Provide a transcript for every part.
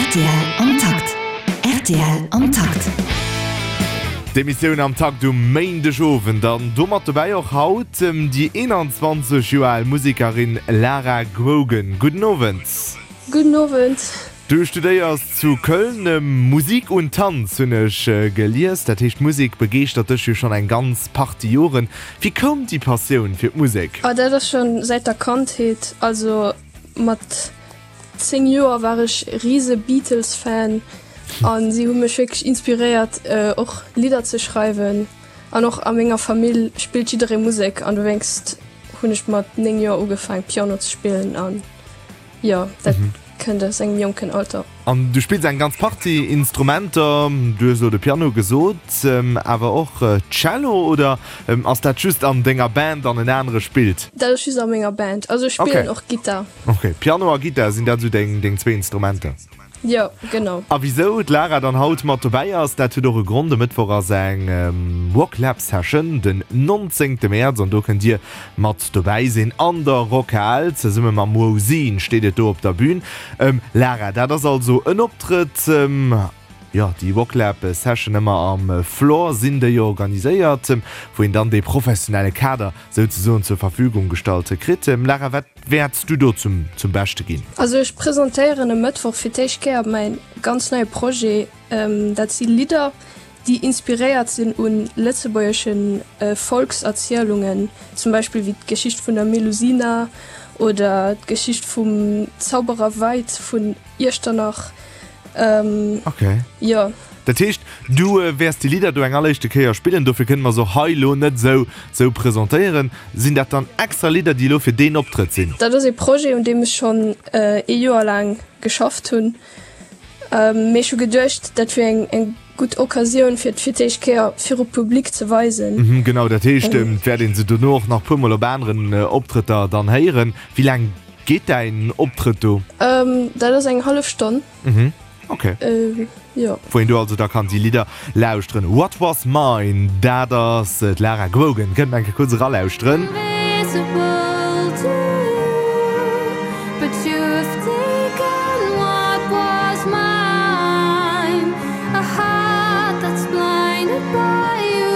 Rtl am Takt. Rtl am Takt. D'Emissioun am Takt um Méindegowend an domat dobäi och haut déi 21 Joer al Musekerin Lara Grogan. Gudden Owend. Gudden Owend. Du studéiers zu Köln Musik und Tanz, hunn ech gelies. Dat heescht, d'Musek begeeschtert dech jo schonn eng ganz Partie Joren. Wéi koum déi Passioun fir d'Musek? Oh, dat ass schonn säit der Kandheet. Also mat 10 Joer war ech rise Beatles-Fan a si hu mech wierklech inspiréiert, och Lidder ze schreiwen. An och a menger Famill spillt jidderee Musek an dowéinst hunn ech mat 9 Joer ugefaang Piano ze spillen an jo, dat kënnt aus engem jonken Alter. An du spills eng ganz Partie Instrumenter, du hues elo de Piano gesot, awer och Cello, oder ass dat just an denger Band an en anere spillt? Dat ass just a menger Band, also ech spillen och Gittar. Ok, Piano a Gittar, sinn dat esou deng zwee Instrumenter? Jo, genau. A wisou d'Lara dann haut mat dobäi ass, dat huet och e Grond. E Mëttwoch ass eng Rocklab Session, den 19 Mäerz, an do kënnt dir mat dobäi sinn an der Rockhal. Zesumme mam Wozine steet et do op der Bühn. Lara, dat ass also en Optrëtt, jo, déi Rocklab Session ëmmer am Floor sinn déi organiséiert, wou een dann dee professionelle Kader souzesoen zur Verfügung gestallt kritt. Lara, wat wäerts du do zum zum Beschte ginn? Also ech presentéieren e Mëttwoch fir d'éischt Kéier mäin ganz neie Projet. Dat si Lidder, déi inspiréiert sinn u lëtzebuergesche Volkserzielungen, zum Beispill wéi d'Geschicht vun der Melusina oder d'Geschicht vum Zauberer Veit vun Iechternach. Ok. Jo. Dat heescht, du wäers déi Lidder do eng alleréischte Kéier spillen, dofir kënne mer se och hei elo net esou esou presentéieren. Sinn dat dann extra Lidder, déi elo fir deen Optrëtt sinn? Dat ass ee Projet, un deem ech schonn ee Joer laang geschafft hunn. Mee ech hu geduecht, dat wier eng eng gutt Occasioun, fir et fir d'éischt Kéier viru Public ze weisen. Mhm, genau. Dat heescht, et wäert ee se dono och nach puermol op aneren Optrëtter dann héieren. Wéi laang Geet däin Optrëtt do? Dat ass eng hallef Stonn. Mhm, ok. Jo. Wou een do also da kann déi Lidder lauschteren. What Was Mine, dat ass d'Lara Grogan. Kënnt mer eng Kéier kuerz eralauschteren. Invisible to you, but you've taken what was mine, a heart that's blinded by you.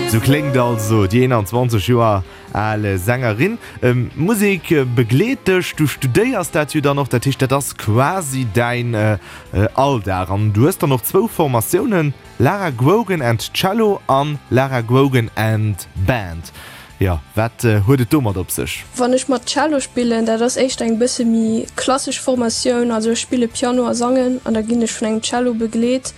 Sou kléngt also déi 21 Joer al Sängerin. Musek begleet dech, du studéiers dat jo dann och, dat heescht dat ass quasi däin Alldag. An du hues dann och zwou Formatiounen, Lara Grogan and Cello an Lara Grogan and Band. Jo, wat huet et domat op sech? Wann ech mat Cello spillen, dat ass éischter eng bësse méi klassesch Formatioun, also ech spille Piano a sangen an da ginn ech vun engem Cello begleet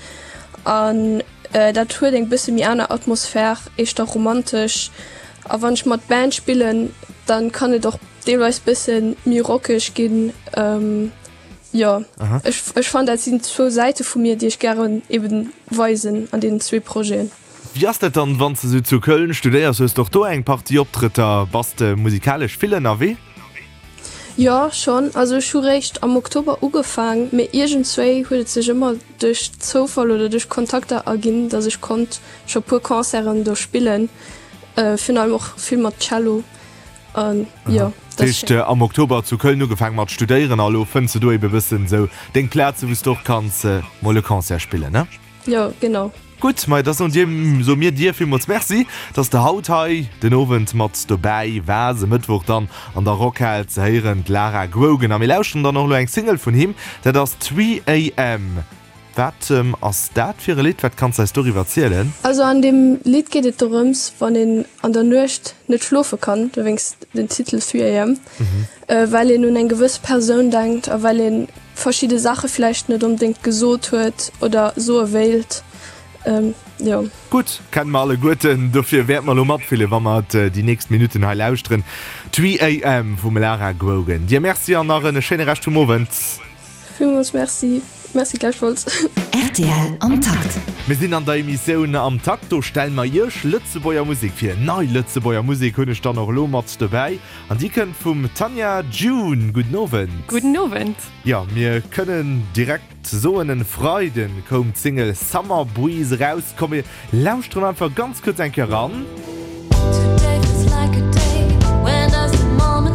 an dat huet eng bësse méi aner Atmosphär, éischter romantesch. A wann ech mat Band spillen, dann kann et och deelweis bësse méi rockeg ginn. Jo, ech ech fannen dat sinn zwou Säite vu mir, déi ech gären eben weisen an deenen zwee Projeten. Wéi ass dat dann, wann s de sou zu Köln studéiers? Hues de och do eng Partie Optrëtter? Bass de musikalesch vill ënnerwee? Jo, schonn. Also ech hu réischt am Oktober ugefaang, mee iergendswéi huet et sech ëmmer duerch Zoufall oder duerch Kontakter erginn, datt ech konnt scho puer Concerten do spillen, virun allem och vill mat Cello. An jo, dat ass schéin. Am Oktober zu Köln ugefaang mat studéieren a lo fënns de do ebe bëssen sou deng Plaze wou s de och kanns mol e Concert spillen, ne? Jo, genau. Gutt, ma da soen dir, soe mir dir villmools Merci, dass de haut hei den Owend mat dobäi waars. E Mëttwoch dann an der Rockhal ze héieren, d'Lara Grogan. A mir lauschteren dann och elo eng Single vun him, dat ass Three AM. Wat ass dat fir e Lidd? Wat kanns de eis doriwwer zielen? Also an deem Lidd geet et dorëms, wann een an der Nuecht net schlofe kann, dowéinst den Titel Three AM, well een un eng gewëss Persoun denkt a well ee verschidde Saache vläicht net onbedéngt gesot huet oder soe wéilt. Jo. Gutt, kenne mer alleguerten, dofir wäerte mer elo matfillen, wa mer et déi nächst Minutten hei lauschteren. Three AM vum Lara Grogan. Dir Merci an nach en schéine Rescht vum Owend. Villmools Merci. Merci gläichfalls. Rtl am Takt. Mir sinn an der Emissioun Am Takt. Do stelle mer Iech Lëtzebuerger Musek vir. Nei Lëtzebuerger Musek hunn ech dann och elo mat dobäi. An déi kënnt vum Tanja June. Gudden Owend. Gudden Owend. Jo, mir kënnen direkt soen, en Freiden koum d'Single Summer Breeze eraus. Komm mir lauschteren einfach ganz kuerz eng Kéier eran. Today feels like a day. When does the moment.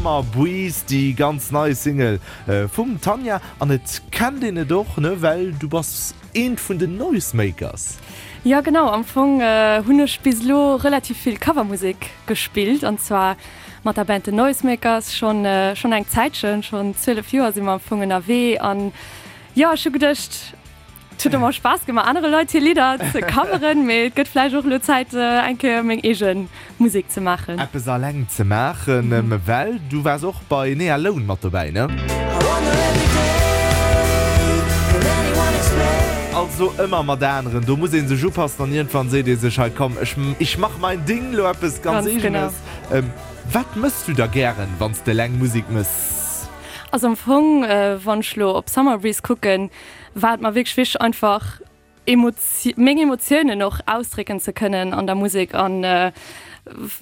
Summer Breeze, déi ganz nei Single vum Tanja. An et kennt een et och, ne, well du bass eent vun den Noisemakers. Jo genau, am Fong hunn ech bis elo relativ vill Covermusek gespillt an zwar mat der Band The Noisemakers schonn schonn eng Zäitchen, schonn 12 Joer si mer am Fong ënnerwee an jo ech hu geduecht et huet ëmmer Spaass gemaach anere Leit hir Lidder ze coveren, mee et gëtt vläicht och elo Zäit eng Kéier meng eege Musek ze maachen. Eppes alleng ze maachen, well du waars och bei Nea Lone mat dobäi, ne? Also ëmmer mat aneren, do muss ee sech upassen an iergendwann seet ee sech, hei komm, ech ich mach mein Ding, lo eppes ganz eegenes. Wat mëss du da gären, wann s de eleng Musek mëss? Also am Fong, wann ech lo op Summer Breeze kucken, war et mer wierklech wichteg einfach meng Emotiounen och ausdrécken ze kënnen an der Musek an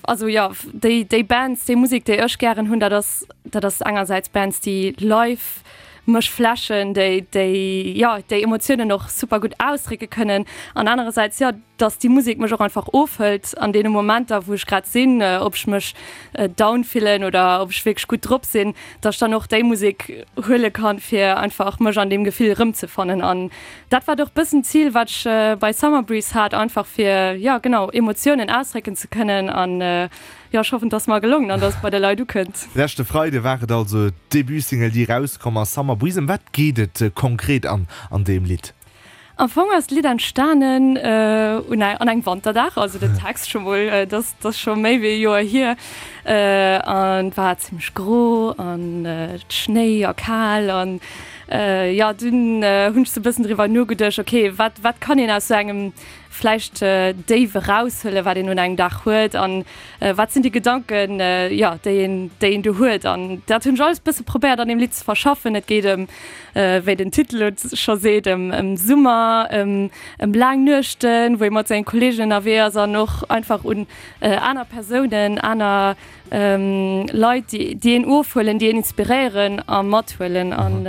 also jo déi déi Bands, déi Musek déi ech gären hunn, dat ass dat ass engersäits Bands déi live mech flashen, déi déi jo déi Emotiounen och super gutt ausdrécke kënnen an anerersäits jo dass déi Musek mech och einfach ofhëlt an deene Momenter wou ech grad sinn, ob ech mech down fillen oder ob ech wierklech gutt drop sinn, dass ech dann och déi Musek huele kann fir einfach mech an deem Gefill erëmzefannen an Dat war och bëssen d'Zil wat ech bei Summer Breeze hat, einfach fir jo genau Emotiounen ausdrécken ze kënnen an jo ech hoffen dass mer gelongen an dass et bei de Leit ukënnt. Leschte Freide war et also d'Debut-Single déi erauskomm ass, Summer Breeze. Ëm wat geet et konkret an an deem Lidd? Am Fong ass d'Lidd entstanen un an engem Wanterdag, also den Text scho mol, dat ass scho méi wéi e Joer hier an et war zimmlech gro an Schnéi a kal an Jo, dunn hunn ech sou e bëssen driwwer nogeduecht, ok, wat, wat kann een aus sou engem vläicht Déif eraushuelen, wat een un engem Dag huet an wat sinn déi Gedanken, jo, déi een, déi een do huet. An dat hunn ech alles e bësse probéiert an deem Lidd ze verschaffen. Et geet ëm, wéi den Titel et scho seet, ëm, ëm Summer, ëm, ëm laang Nuechten, wou ee mat sengen Kolleegen ënnerwee ass an och einfach un aner Persounen, aner Leit, déi een ofhuelen, déi een inspiréieren a mathuelen. An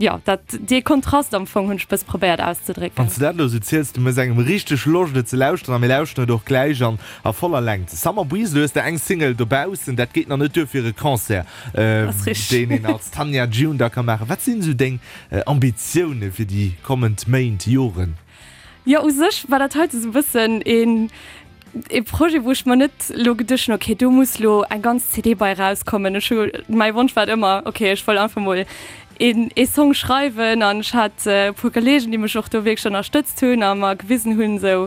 jo, dat, dee Kontrast am Fong hunn ech bësse probéiert auszedrécken. Wann s de dat elo sou ziels, du méchs engem richteg Loscht et ze lauschteren a mir lauschteren et och gläich an a voller Längt. Summer Breeze, elo hues de eng Single dobaussen, dat geet nach net duer fir e Concert, deen een als Tanja June da ka maachen. Wat sinn esou deng Ambitioune fir déi kommend Méint, Joren? Jo, u sech war dat heite sou e bëssen een ee Projet, wou ech mer net elo geduecht hunn, okay, do muss elo eng ganz CD bei erauskommen. Ech hu, mäi Wonsch war et ëmmer, okay, ech wëll einfach mol een ee Song schreiwen an ech hat e puer Kolleegen, déi mech och do wierklech ënnerstëtzt hunn a mer gewisen hunn, esou,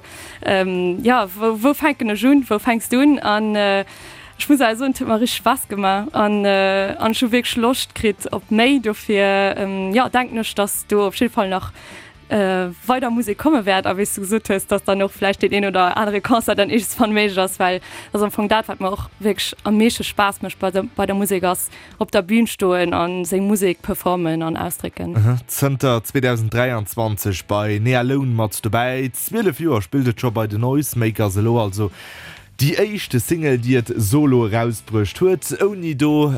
jo, wou, wou fänken ech un, wou fänks du un? An ech muss awer soen, et huet mer richteg Spaass gemaach an an ech hu wierklech Loscht kritt op méi. Dofir, jo, denken ech, datt do op jidde Fall nach weider Musek komme wäert a wéi s du gesot hues, dass dann och vläicht deen een oder anere Concert dann iergendswann méiglech ass, well dat ass am Fong dat, wat mer och wierklech am meeschte Spaass mécht bei der, bei der Musek ass, op der Bün stoen a seng Musek performen an ausdrécken. Zënter 2023 bei Nealone mat dobäi, 12 Joer spillt et scho bei den Noisemakers, elo also déi éischte Single, déi et solo erausbruecht huet, ouni do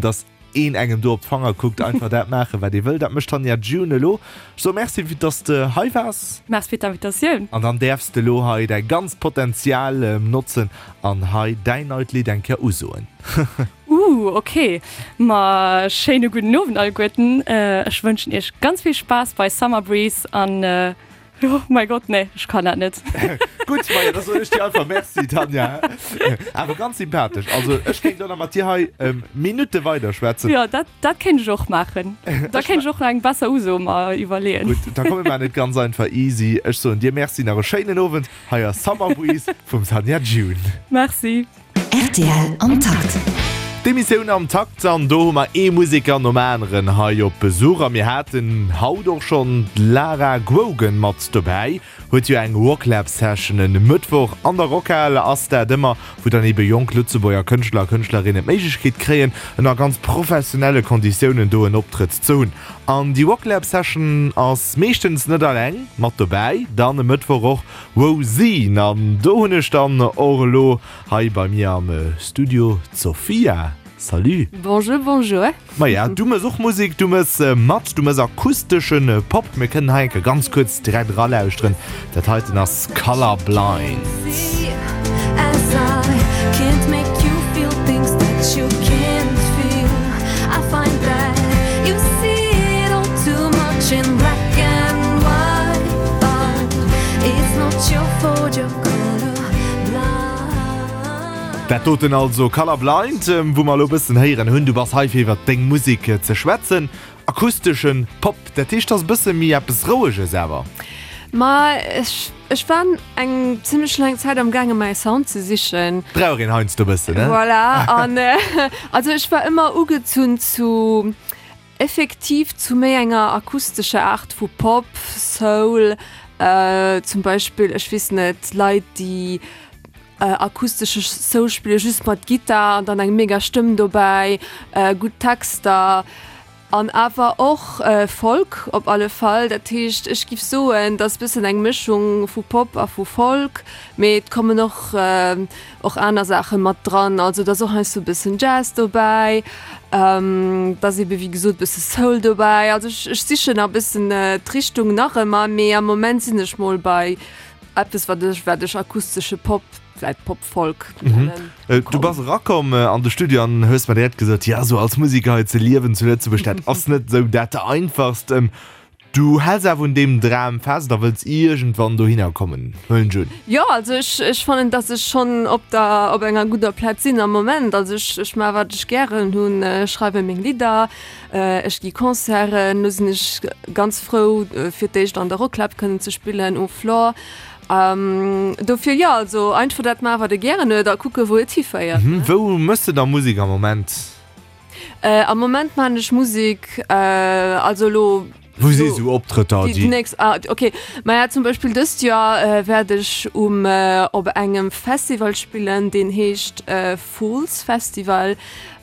dass een engem do op d'Fanger kuckt, einfach dat maachen, wat ee wëll. Dat mécht d'Tanja June elo. Ech soe Merci, fir dass de hei waars. Merci fir d'Invitatioun. An dann däerfs de elo hei däi ganzt Potenzial notzen an hei däin neit Lidd eng Kéier usoen. Ooh, ok. Ma schéine gudden Owend alleguerten. Ech wënschen iech ganz vill Spaass bei Summer Breeze an Oh mein Gott, nee, ech kann dat net. Gutt, Maja, da soen ech dir einfach Merci, Tanja. Awer ganz sympathesch. Also ech kéint elo nach mat dir hei Minutte weiderschwätzen. Jo, dat, dat kéint ech och maachen. Da kéint ech och nach eng besser Uso mer iwwerleeën. Gutt, da komme mer et ganz einfach easy. Ech soen dir Merci, nach e schéinen Owend. Hei ass Summer Breeze vum Tanja June. Merci. Rtl am Takt. D'Emissioun am Takt an do hu mer ee Museker nom aneren hei op Besuch a mir haten haut och schonn d'Lara Grogan mat dobäi. Huet jo eng Rocklab Session en Mëttwoch an der Rockhal ass dat ëmmer, wou dann ebe jonk Lëtzebuerger Kënschtler a Kënschtlerinnen d'Méiglechkeet kréien ënner ganz professionelle Konditiounen do en Optrëtt ze hunn. An déi Rocklab Session ass meeschtens net alleng mat dobäi, dann e Mëttwoch och Wosinn an do hunn ech dann och elo hei bei mir am Studio d'Sophia. Salut! Bonjour, bonjour! Maja, du mëss och Musek, du mëss mat, du mëss akustesche Pop. Mir kënnen hei enke ganz kuerz direkt eralauschteren. Dat heiten ass Colour Blind. Dat doten also Color Blind, wou mer elo e bëssen héieren hunn. Du bass hei fir iwwert deng Musek ze schwätzen. Akusteschen Pop, dat heescht ass e bësse méi eppes Roueges awer? Ma ech, ech war eng zimmlech laang Zäit am gaange mäi Sound ze sichen. Brauch een heiansdo e bëssen, ne? Voilà, an also ech war ëmmer ugezunn zu effektiv zu méi enger akustescher Aart vu Pop, Soul, zum Beispill, ech weess net, Leit déi akustesche Soul spille just mat Gittar an dann eng mega Stëmm dobäi, gutt Texter an awer och Folk op alle Fall. Dat heescht, ech giff soen, et ass bëssen eng Mëschung vu Pop a vu Folk, mee et kommen och och aner Saache mat dran. Also et ass och heiansdo e bëssen Jazz dobäi, et ass ebe wéi gesot e bësse Soul dobäi. Also ech ech sichen nach e bëssen d'Richtung nach ëmmer, mee am Moment sinn ech mol bei Eppes wat ech wat ech akustesche Pop, vläit Pop-Folk nennen. Du bass erakomm an de Studio an hues mer direkt gesot, jo esou als Museker hei ze liewen zu Lëtzebuerg, dat ass net esou dat einfachst. Du häls awer un deem Dram fest a wëlls iergendwann dohinner kommen, huelen ech un? Jo, also ech ech fannen, datt ech schonn op der op enger gudder Plaz sinn am Moment. Also ech ech maache wat ech gären hunn, ech schreiwe meng Lidder, Ech gi Concerten, lo sinn ech ganz frou fir d'éischt an der Rocklab kënnen ze spillen um Floor. Dofir jo, also einfach dat maachen, wat ee gären huet a kucke wou et hiféiert. Wou méchs de da Musek am Moment? Am Moment maachen ech Musek, also elo. Wou si sou Optrëtter, déi. Déi nächst, ah ok. Maja zum Beispill dëst Joer wäert ech um op engem Festival spillen, deen heescht Fools Festival.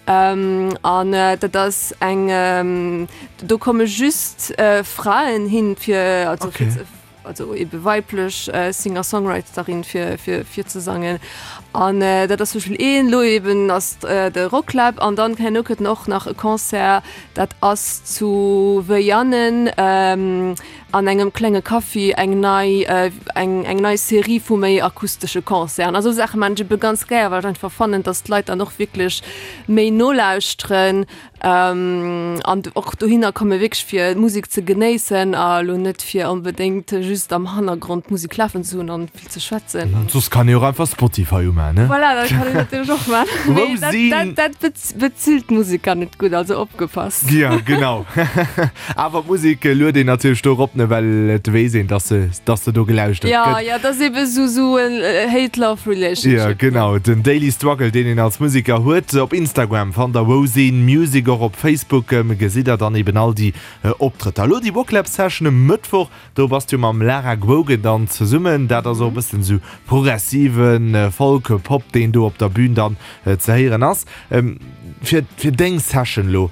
An dat ass eng, do komme just Fraen hin fir, also fir ze, also ebe weiblech Singer-Songwriterin fir fir fir ze sangen. An dat ass zum Beispill een, lo eben ass de Rocklab an dann herno kënnt och nach e Concert, dat ass zu Veianen an engem klenge Café, eng nei eng eng nei Serie vu méi akustesche Concerten. A sou Saache maan ech ebe ganz gär, well ech einfach fannen, datt d'Leit dann och wierklech méi nolauschteren an och dohinner komme wierklech fir d'Musek ze genéissen a lo net fir onbedéngt just am Hannergrond d'Musek lafen ze hunn an vill ze schwätzen. Soss kann ee och einfach Spotify umaan, ne? Voilà, dat kann een natierlech och maan. Mee dat, dat, dat bezilt d'Museker net gutt, also opgepasst. Jo, genau. Awer d'Musek luet een natierlech do erop, ne, well et weess een, dass se, dass se do gelauschtert gëtt. Jo, jo, dat ass ebe sou, sou en Hate-Love Relationship. Jo, genau, den Daily Struggle, deen een als Museker huet. Op Instagram fannt der Wosin Music, och op Facebook gesitt der dann eben all déi Optrëtter. Elo déi Wocklab Session e Mëttwoch, do bass du mam Lara Grogan dann zesummen. Dat ass och e bëssen esou progressive Folk, Pop, deen do op der Bün dann ze héieren ass. Fir, fir deng Session elo,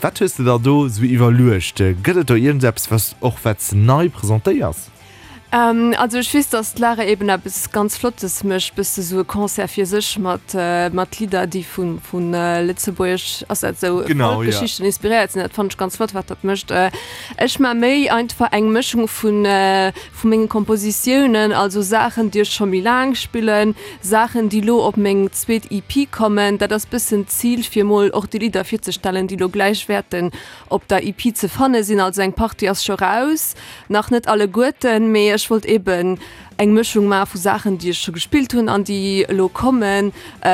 Wat hues de der do sou iwwerluecht? Gëtt et do iergendeppes, was och wat s nei presentéiers? Also ech weess, dass d'Lara eben eppes ganz Flottes mécht, bësse sou e Concert fir sech mat mat Lidder, déi vu vu lëtzebuergesch, ass dat esou, Folkgeschichten inspiréiert sinn. Dat fannen ech ganz flott, wat dat mécht. Ech maa méi einfach eng Mëschung vu vu menge Kompositiounen, also Saachen, déi ech scho méi laang spillen, Saachen, déi lo op meng zweet EP kommen. Dat ass bëssen d'Zil, fir mol och déi Lidder virzestellen, déi lo gläich wäerten op der EP ze fanne sinn. Also eng Partie ass scho raus, nach net alleguerten, mee ech wollt eben eng Mëschung maache vu Saachen, déi ech scho gespillt hunn an déi elo kommen,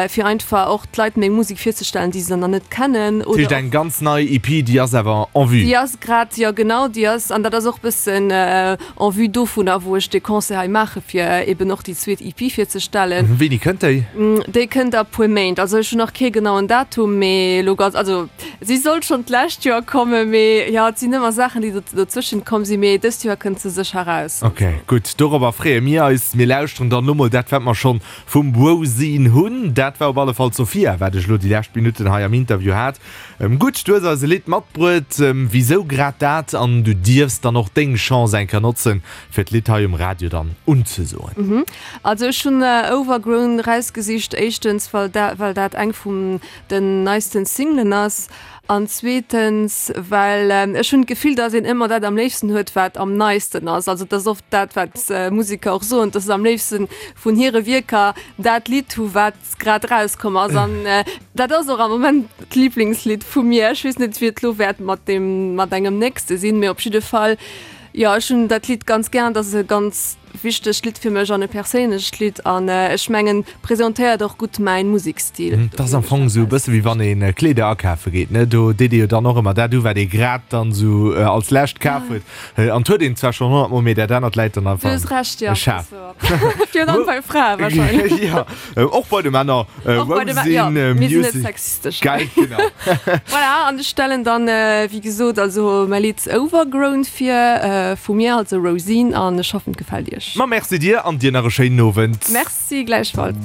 fir einfach och d'Leit meng Musek virzestellen, déi se nach net kennen. Dat heescht eng ganz nei EP, déi ass awer en vue? Déi ass grad, jo genau, déi ass, an dat ass och bëssen en vue dovunner, wou ech dee Concert hei maache fir eben och déi zweet EP virzestellen. Wéini kënnt déi? Déi kënnt a puer Méint. Also ech hunn nach kee genauen Datum, mee elo ganz, also si sollt schonn d'lescht Joer kommen, mee jo, et sinn ëmmer Saachen, déi dozwëschent komm sinn, mee dëst Joer kënnt se sécher raus. Ok, gutt, dorobber freeë mir eis. Mir lauschteren dann elo mol dat, wat mer schonn vum Wosin hunn. Dat war op alle Fall d'Sophia, wat ech elo déi lescht Minutten hei am Interview hat. Gutt, du hues eis e Lidd matbruet. Wisou grad dat? An du dierfs dann och deng Chance eng Kéier notzen, fir d'Lidd hei um Radio dann unzesoen. Also ech hunn Overgrown rausgesicht, éischtens well well dat eng vun den neisten Singlen ass an zweetens well ech hunn d'Gefill, dass een ëmmer dat am léifsten huet, wat am neisten ass. Also et ass oft dat, wat Museker och soen, dass se am léifsten vun hire Wierker dat Lidd hu wat grad rauskomm ass an dat ass och am Moment d'Liblingslidd vu mir. Ech weess net wéi et lo wäert mat deem mat engem nächste sinn, mee op jidde Fall jo ech hunn dat Lidd ganz gär, dat ass e ganz. wichtegt Lidd fir mech an e perséinlecht Lidd an ech mengen presentéiert och gutt mäin Musekstil. Et ass am Fong esou e bësse wéi wann ee Kleeder akafe geet, ne? Do deet ee jo dann och ëmmer dat u wat ee grad dann esou als lescht kaf huet. An 't huet een zwar schonn 100 mol, mee dat anert läit dann einfach am Schaf. Virun allem bei Frae wahrscheinlech. Jo, och bei de Männer. Och bei de Männer, jo. Mir sinn net sexistesch. Gell, genau. Voilà, an ech stellen dann, wéi gesot, also mäi Lidd Overgrown vir, vu mir, also Rosine, an ech hoffen, et gefält iech. Ma merci dir an dir nach e schéinen Owend. Merci, gläichfalls.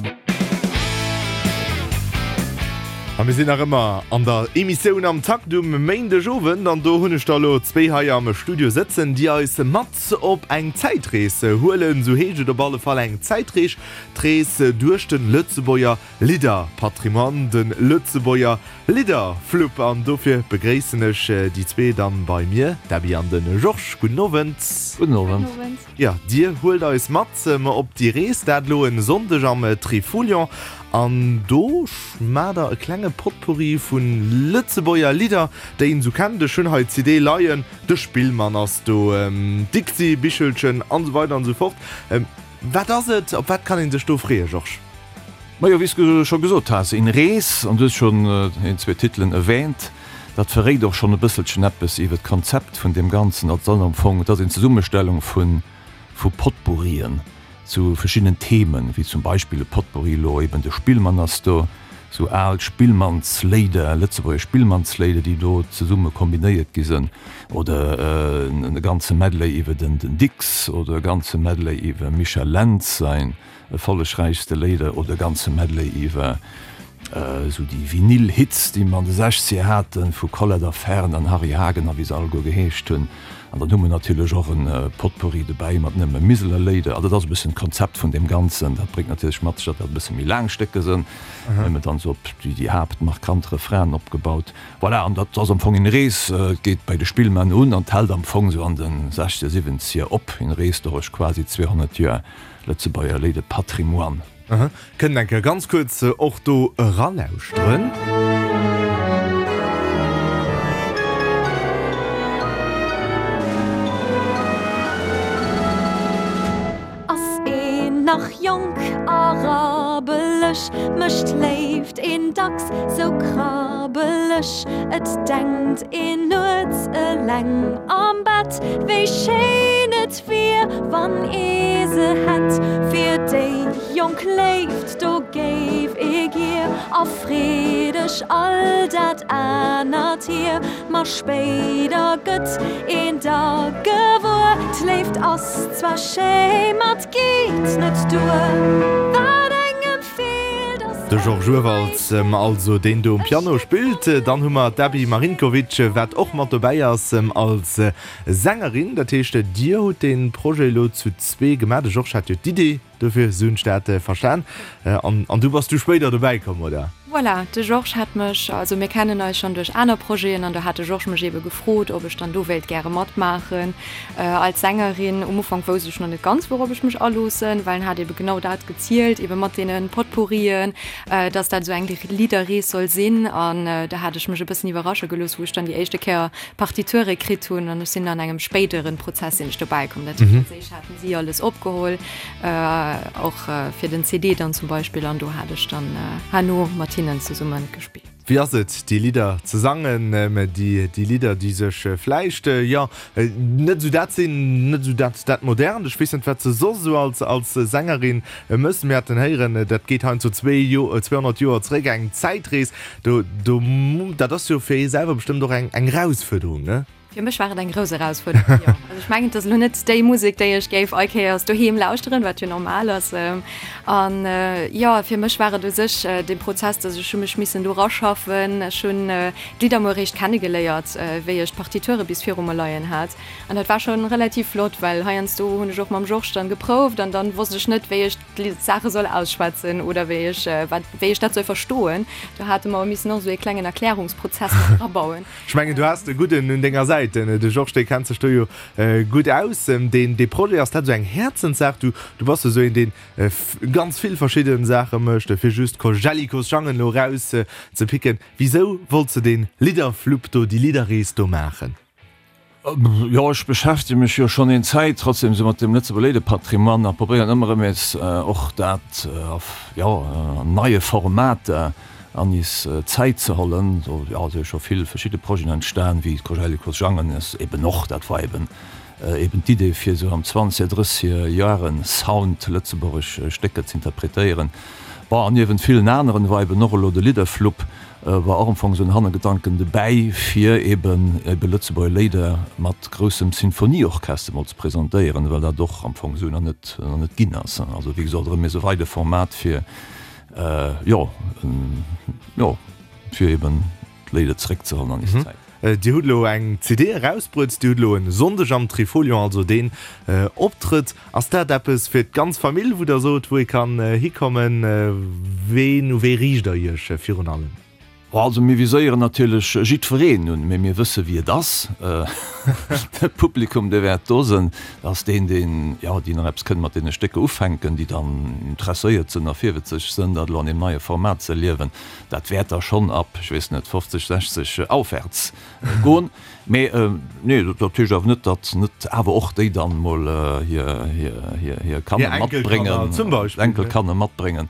A mir sinn nach ëmmer an der Emissioun Am Takt um Méindegowend an do hunn ech der elo zwéi hei am Studio sëtzen, déi eis mat op eng Zäitrees huelen. Esou heescht et op alle Fall, eng Zäitrees, d'Rees duerch de Lëtzebuerger Lidderpatrimoine, de Lëtzebuerger Lidderflupp. An dofir begréissen ech déi zwee dann bei mir, d'Gaby an de Georges. Gudden Owend. Gudden Owend. Jo, dir huelt eis mat op déi Rees, dat elo en Sonndeg am Trifolion. An do schmaacht der e klenge Potpourri vu Lëtzebuerger Lidder, déi een esou kennt. Ech hunn hei d'CD leien, de Spillmann ass do, d'Dixi-Bichelchen an esou weider an esou fort. Wat ass et? Op wat kann ee sech do freeën, Georges? Majo, wéi s de scho gesot has, een Rees, an du hues schonn een, zwee Titelen erwähnt, dat verréit och schonn e bësselchen eppes iwwer d'Konzept vun deem Ganzen. Dat ass am Fong, et ass een Zesummestellung vu vu Potpourrien zu verschiddenen Themen, wéi zum Beispill e Potpourri elo eben de Spillmann ass do, sou al Spillmannsléider, lëtzebuergesch Spillmannsléider, déi do zesumme kombinéiert gi sënn, oder e ganze Medley iwwer den Dicks oder e ganze Medley iwwer Michel Lentz säin Erfollegräichste Léider oder e ganze Medley iwwer esou déi Vinyl-Hits, déi mer an de Sechzeger haten, vu Colette a Fern an Harry Hagen a wéi se alleguer geheescht hunn. An dann hu mer natierlech och e Potpourri dobäi mat nëmme Miseler Léider. Also dat ass e bëssen d'Konzept vun deem Ganzen. Dat bréngt natierlech mat sech, datt dat e bësse méi laang Stécker sënn, nëmme dann esou op déi haaptmarkant Refrainen opgebaut. Voilà, an dat ass am Fong eng Rees, et geet bei de Spillmann un an d'hält am Fong esou an de Sechzeger, Siwwenzeger op. Eng Rees dorech quasi 200 Joer. Lëtzebuerger Léide Patrimoine. Kënnt eng Kéier ganz kuerz och do eralauschteren. Ass een nach jonk a rabbeleg, mécht d'Léift een dacks sou krabbeleg. Et denkt een nuets eleng am Bett, wéi schéin et Wier wann ee se hätt fir déi jonk Léift, do géif ee gier a freedeg all dat anert hier. Ma spéider gëtt een da gewuer, d'Léift ass zwar schéi, ma 't geet net duer. Wat engem feelt ass De Georges Urwald also, deen do um Piano spillt. Dann hu mer d'Gaby Marinkovic, wat och mat dobäi ass als Sängerin, dat heescht Dir hutt dee Projet elo zu zwee gemaach. De Georges hat jo d'Idee dofir, esou hunn ech dat verstan. An du bass du spéider dobäi komm, oder? Voilà, de Georges hat mech, also mir kennen eis schonn duerch aner Projeten an do hat de Georges mech eebe gefrot, ob ech dann do wéilt gäre matmaachen als Sängerin. Um Ufank wousst ech nach net ganz, wourop ech mech aloossen, well en hat eebe genau dat gezielt, eebe mat deene Potpourrien, dass dat esou eng Lidderrees soll sinn. An da hat ech mech e bëssen iwwerrasche gelooss, wou ech dann déi éischte Kéier Partiture kritt hunn an ech sinn an engem spéideren Prozess sinn ech dobäi komm. Dat heescht, als éischt haten si alles opgeholl, och fir den CD dann zum Beispill an do hat ech dann herno mat hinnen zesumme gespillt. Wéi ass et, déi Lidder ze sangen, déi Lidder, déi sech vläicht, jo, net esou dat sinn, net esou dat, dat Modernt, ech weess net, wat s de soss esou als, als Sängerin mëss. Mir haten héieren, dat geet heiansdo zwee Jo, 200 Joer zeréck, eng Zäitrees. Do, do, dat ass jo fir ee selwer bestëmmt och eng, eng Erausfuerderung, ne? Fir mech war et eng grouss Erausfuerderung, jo. Also ech mengen, et ass elo net déi Musek, déi ech géif all Kéiers doheem lauschteren, wat jo normal ass. An jo, fir mech war et u sech dee Prozess, dass ech hu mech missen do raschaffen. Ech hunn d'Lidder mol eréischt kennegeléiert, wéi ech d'Partiture bis viru mer leien hat. An dat war schonn relativ flott, well heiansdo hunn ech och mam Georges dann geprouft an dann wosst ech net, wéi ech d'Saache soll ausschwätzen oder wéi ech wat wéi ech dat soll verstoen. Do hate mer missen och esou ee klengen Erklärungsprozess mat erabauen. Ech mengen, du has de Gudden un denger Säit. De Georges, dee kennt sech do jo gutt aus. Deen dee Projet, ass dat esou eng Häerzenssaach? Du du bass jo esou een, deen ganz vill verschidde Saache mécht, fir just Jellicos Jangen elo eraus ze picken. Wisou wollts de dee Lidderflupp do, déi Lidderrees do maachen? Jo, ech beschäftege mech jo schonn een Zäit trotzdem esou mat dem Lëtzebuerger Léidepatrimoine a probéieren ëmmer erëm nees och dat a, jo, an neie Formater an is Zäit ze hollen. Do, jo, si scho vill verschidde Projeten entstan, wéi d'Cojellico's Jangen ass eben och, dat war eben eben d'Idee fir esou am zwanzeger, drësseger Jahre Sound lëtzebuergesch Stécker ze interpretéieren. Bon, an niewent villen aneren war eben och elo de Lidderflupp, war och am Fong esou en Hannergedanken dobäi, fir eben ebe Lëtzebuerger Léider mat groussem Sinfonieorchester mol ze presentéieren, well dat och am Fong esou nach net, nach net ginn ass. Also wéi gesot, erëm méi esou weide Format fir, jo, jo, fir eben d'Léider zeréckzehollen an is Zäit. Dir hutt elo eng CD erausbruet, Dir hutt elo e Sonndeg am Trifolion, also deen Optrëtt. Ass dat eppes fir d'ganz Famill, wou Der sot, wou ee kann hikommen? Ween, u wee riicht Der Iech virun allem? Also mir viséieren natierlech jiddwereen un, mee mir wësse wéi et ass. De Publikum, dee wäert do sënn, dat ass deen, deen, jo, déi nach eppes kënne mat deene Stécker ufänken, déi dann interesséiert sënn a virwëtzeg sënn, dat elo an deem neie Format ze erliewen. Dat wäert da schonn ab, ech weess net, 50, 60 aufwärts goen. Mee nee, dat heescht awer net, datt net awer och déi dann mol hir, hir, hir, hir Kanner matbréngen, Enkelkanner matbréngen.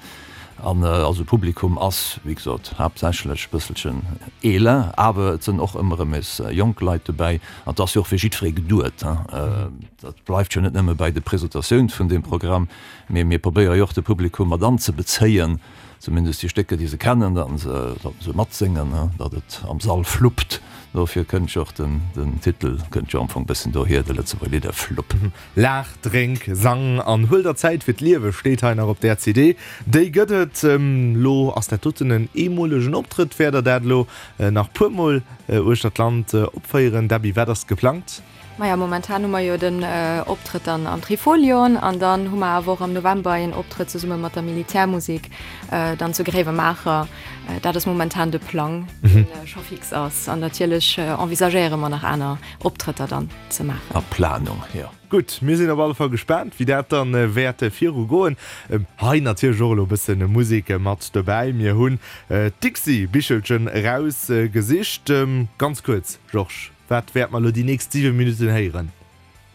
An also Publikum ass, wéi gesot, haaptsächlech e bësselchen eeler, awer et sënn och ëmmer erëm nees jonk Leit dobäi. An et ass jo och fir jiddweree geduet. Dat bleift jo net nëmme bäi de Presentatioun vun deem Programm, mee mir probéiere jo och de Publikum mat anzebezéien, Zumindest déi Stécker, déi se kennen, datt se, datt se matséngen, datt et am Sall fluppt. Dofir kënnt jo och den, den Titel kënnt jo am Fong bëssen dohier, de Lëtzebuerger Lidderflupp. Laach, drénk, sang an huel der Zäit fir d'Liewe steet hei nach op där CD. Déi gëtt et elo. Ass dat doten en eemolegen Optrëtt? Wäert der dat elo nach puer Mol uechter d'Land opféieren? Debbie, wat ass geplangt? Maja, momentan hu mer jo den Optrëtt dann am Trifolion an dann hu mer awer och am November een Optrëtt zesumme mat der Militärmusik dann zu Gréiwemaacher. Dat ass momentan de Plang, deen scho fix ass. An natierlech envisagéiere mer nach aner Optrëtter dann ze maachen. A Planung, jo. Gutt, mir sinn op alle Fall gespaant, wéi dat dann wäert viru goen. Hei natierlech och elo e bësse Musek mat dobäi. Mir hunn d'Dixie-Bichelchen erausgesicht. Ganz kuerz, Georges. Wat wäert mer elo déi nächst 7 Minutten héieren?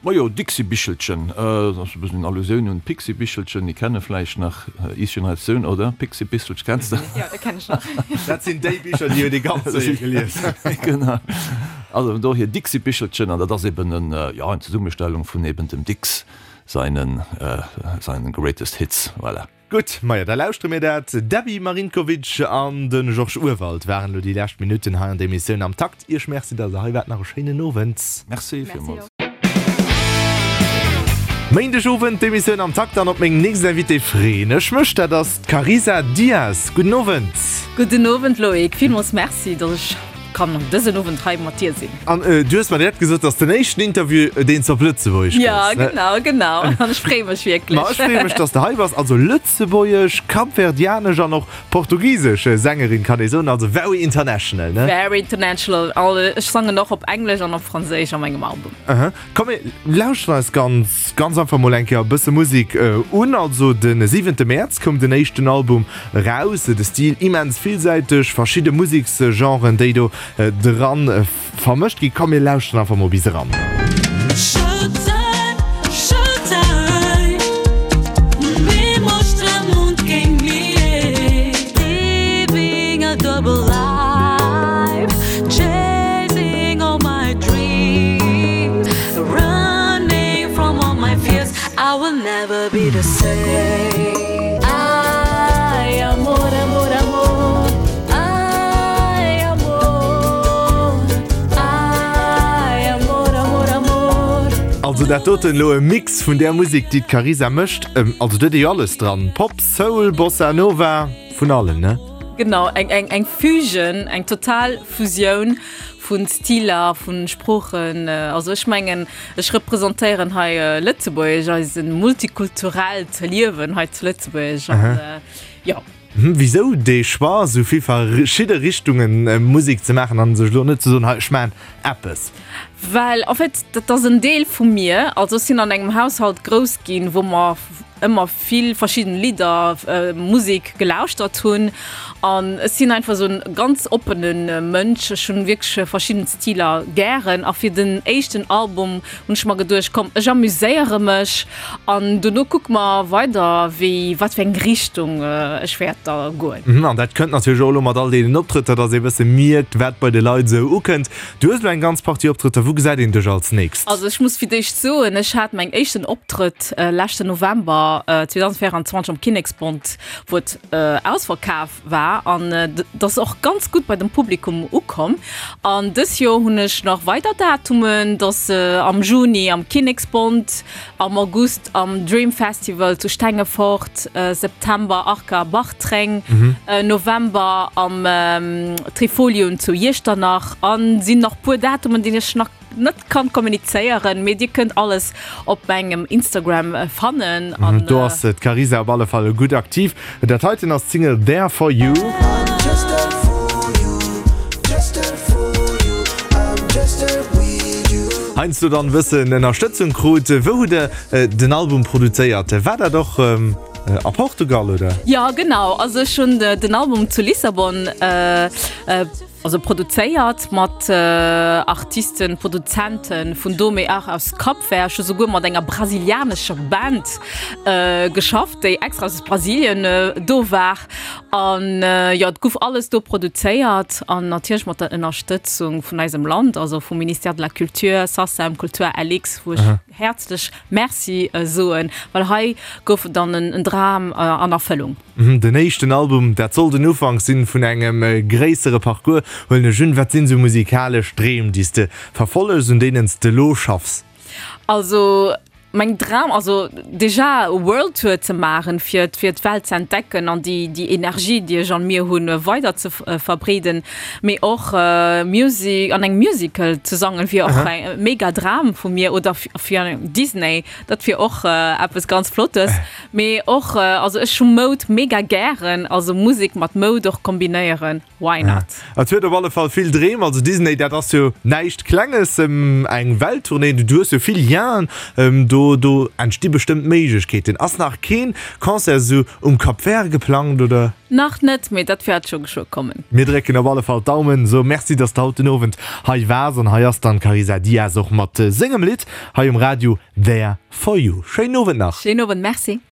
Majo, Dixi-Bichelchen, dat ass e bëssen eng Allusioun un d'Pixi-Bichelchen, déi kenne vläicht nach is Generatioun, oder? Pixi-Bichelchen, kenns de? Jo, dat kenn ech nach. Dat sinn déi Bicher, déi huet ee ganz séier gelies. Genau. Also vun dohier Dixi-Bichelchen, an dat ass eben en, jo, eng Zesummestellung vun eben dem Dicks seinen, seinen Greatest Hits, voilà. Gutt, majo da lauschtere mir dat. D'Debbie Marinkovic an de Georges Urwald waren elo déi lescht Minutten hei an der Emissioun am Takt. Iech Merci, datt der hei waart. Nach e schéinen Owend. Merci villmools. Méindeg Owend, d'Emissioun am Takt an op meng nächst Invitée freeën ech mech. Dat ass d'Carisa Dias. Gudden Owend. Gudden Owend Loïc, villmools Merci, datt ech kann dësen Owend hei mat dir sinn. An du hues mer direkt gesot, dass den éischten Interview, deen s de op Lëtzebuergesch gëss. Ja, genau, genau. An ech freeë mech wierklech. Ma ech freeë mech, dass de hei bass. Also lëtzebuergesch, kapverdianesch an och portugisesch Sängerin, kann ee soen. Also very international, ne? Very international. Ech sangen och op Englesch an op Franséisch a mengem Album. Aha. Komm mir lauschteren eis ganz, ganz einfach mol eng Kéier e bësse Musek un. Also de siwente Mäerz koum den éischten Album eraus. De Stil immens villsäiteg, verschidde Museksgenren, déi do dran vermëscht ginn. Komm mir lauschteren einfach mol bis eran. Also dat doten elo e Mix vun där Musek déi d'Carisa mécht. Also do huet ee jo alles dran, Pop, Soul, Bossa Nova, vun allem ne? Genau, eng eng eng Fusion, eng total Fusioun vun Stiler, vun Sproochen. Also ech mengen ech representéieren hei Lëtzebuerg, eise multikulturellt Liewen hei zu Lëtzebuerg an jo. Wisou dee Choix, esou vill verschidde Richtunge Musek ze maachen an sech elo net ze soen, hei ech maachen eppes? Well en fait dat ass en Deel vu mir. Also ech sinn an engem Haushalt grouss ginn, wou mer. ëmmer vill verschidden Lidder, Musek gelauschtert hunn an ech sinn einfach esou en ganz oppene Mënsch. Ech hunn wierklech verschidden Stiler gären a fir den éischten Album hunn ech mer geduecht, komm ech amuséiere mech an dono kucke mer weider wéi wat fir eng Richtung ech wäert da goen. An dat kënnt natierlech och elo mat all deenen Optrëtter, dass ee bësse mierkt wat bei de Leit esou ukënnt. Du hues elo eng ganz Partie Optrëtter, wou gesäit een dech als nächst? Also ech muss fir d'éischt soen, ech hat mäin éischten Optrëtt leschten November 2024 am Kinneksbond, wou et ausverkaf war an et ass och ganz gutt bei dem Publikum ukomm. An dës Joer hunn ech nach weider Datumen, dass am Juni am Kinneksbond, am August am Dream Festival zu Stengefort, September Arca Bartreng, November am Trifolion zu Iechternach an sinn nach puer Datumen déi ech nach net kann kommunizéieren, mee dir kënnt alles op mengem Instagram fannen an. Do ass d'Carisa op alle Fall gutt aktiv. Dat heiten ass d'Single There For You. Heiansdo dann e bëssen Ënnerstëtzung krut. Wou hutt der den Album produzéiert? War dat och a Portugal oder? Jo genau, also ech hunn den Album zu Lissabon also produzéiert mat Artisten, Produzenten vun do mee och aus Cap Vert. Ech hu souguer mat enger brasilianescher Band geschafft, déi extra aus Brasilien do war. An jo, et guff alles do produzéiert an natierlech mat der Ënnerstëtzung vun eisem Land, also vum Ministère de la Culture, SACEM, Kultur LX, wou ech häerzlech Merci soen, well hei gouf dann en Dram an Erfëllung. Den éischten Album, dat soll den Ufank sinn vun engem gréissere Parcours, huelen ech un. Wat sinn esou musikalesch Dreem, déi s de verfollegs, un deenen s de elo schaffs? Also meng Dram, also déjà e World Tour ze maachen, fir fir d'Welt ze entdecken an déi déi Energie, déi ech an mir hunn, weider ze verbreeden, mee och Music an engem Musical ze sangen, wier och e mega Dram vu mir oder fir an Disney, dat wier och eppes ganz Flottes. Mee och, also ech hu Moud mega gären, also Musek mat Moud och kombinéieren. Why not? Et huet op alle Fall vill Dreem. Also Disney, dat ass jo näischt Klenges, eng Welttournée, du hues jo vill Lienen, do do entsti bestëmmt Méiglechkeeten. Ass nach keen Concert esou um Cap Vert geplangt, oder? Nach net, mee dat wäert scho geschwë kommen. Mir drécken op alle Fall d'Daumen. Sou, Merci, dass de haut den Owend hei waars. An hei ass dann d'Carisa Dias och mat sengem Lidd hei um Radio, There For You. Schéinen Owend nach. Schéinen Owend, Merci.